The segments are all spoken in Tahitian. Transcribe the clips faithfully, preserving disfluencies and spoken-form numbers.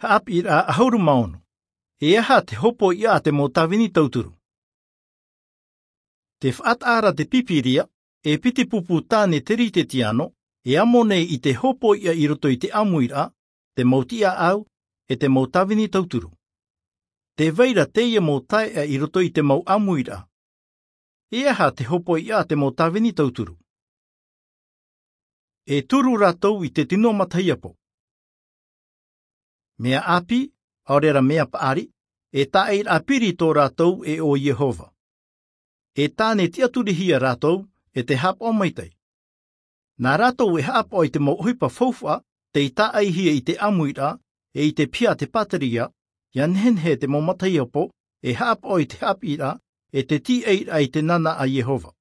Haʻapiʻiraʻa ʻahuru mā ono. E aha te hopoiʻa a te mau tāvini tauturu? Te faʻataʻa ra te pīpīria, e piti pupu tāne teretetiano, e amo nei i te hopoiʻa i roto i te ʻāmuiraʻa, te mau tiʻaʻau, e te mau tāvini tauturu. Te vai ra teie mau taeʻa i roto i te mau ʻāmuiraʻa. E aha te hopoiʻa a te mau tāvini tauturu? E turu rātou i te tino matahiapo. Mea ʻāpī, ʻaore ra mea paʻari, e tāʻairaʻa piri tō rātou e ʻo Iehova. E tāne tiʻaturihia rātou, e te haʻapaʻo maitaʻi. Nā rātou e haʻapaʻo i te mau ʻohipa faufaʻa, tei tāʻaihia i te ʻāmuiraʻa, e i te piha a te pātireia, ʻia nehenehe te mau matahiapo, e haʻapaʻo i te haʻapiʻiraʻa, e te tīaʻiraʻa i te nānā a Iehova.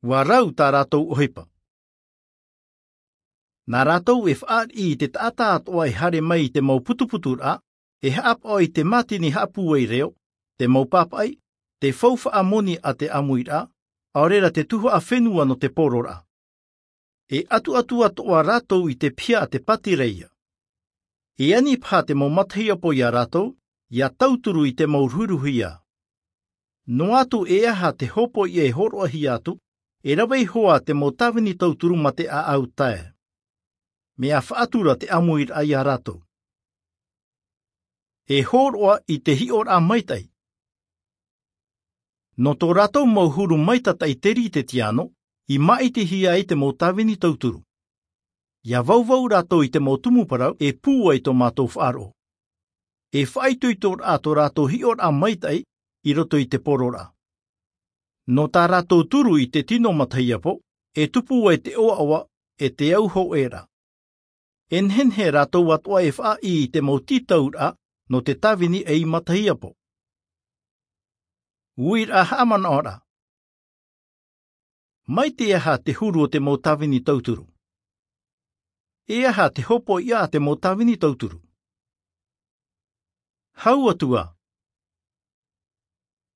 ʻUa rau tā rātou ʻohipa. Nā rātou e fāriʻi i te taʻata atoʻa e haere mai i te mau putuputuraʻa, e haʻapaʻo i te mātini haʻapūai reo, te mau pāpaʻi, te faufaʻa moni a te ʻāmuiraʻa, ʻaore ra te tuhaʻa fenua nō te pororaʻa. E ʻatuʻatu atoʻa rātou i te piha a te pātireia. E ani paha te mau matahiapo ia rātou, ʻia tauturu i te mau ruhiruhia. Noa atu e aha te hopoiʻa e hōroʻahia atu, e rave iho ā te mau tāvini tauturu mā te ʻāʻau tae. Mea faʻatura te ʻāmuiraʻa ia rātou. E hōroʻa i te hiʻoraʻa maitaʻi. Nō tō rātou mau huru maitataʻi teretetiano, i māʻitihia ai te mau tāvini tauturu. ʻIa vauvau rātou i te mau tumu parau e pūai tō mātou faʻaroʻo. E faʻaitoitoraʻa tō rātou hiʻoraʻa maitaʻi i roto i te pororaʻa. Nō tā rātou turu i te tino matahiapo, e tupu ai te ʻoaʻoa, e te au hōʻē ra. E nehenehe rātou atoʻa e faʻaʻī i te mau tītauraʻa nō te tāvini ei matahiapo. Uiraʻa haʻamanaʻoraʻa. Mai te aha te huru o te mau tāvini tauturu? E aha te hopoiʻa a te mau tāvini tauturu? Hau atu ā.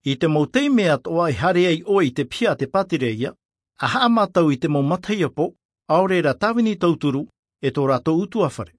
I te mau taime atoʻa e haere ai ʻoe i te piha a te pātireia, ʻa haʻamātau i te mau matahiapo, ʻaore ra tāvini tauturu, e tō rātou ʻutuāfare.